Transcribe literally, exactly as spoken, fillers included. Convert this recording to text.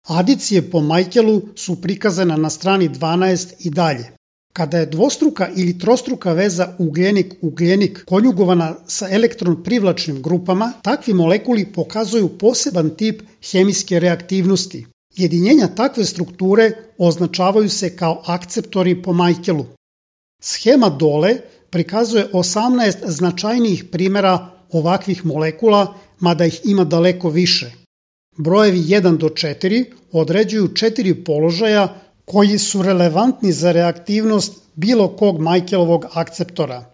Adicije po Michaelu su prikazane na strani dvanaest i dalje. Kada je dvostruka ili trostruka veza ugljenik-ugljenik konjugovana sa elektron privlačnim grupama, takvi molekuli pokazuju poseban tip hemijske reaktivnosti. Jedinjenja takve strukture označavaju se kao akceptori po Michaelu. Schema dole prikazuje osamnaest značajnijih primjera ovakvih molekula, mada ih ima daleko više. Brojevi jedan do četiri određuju četiri položaja koji su relevantni za reaktivnost bilo kog Michaelovog akceptora.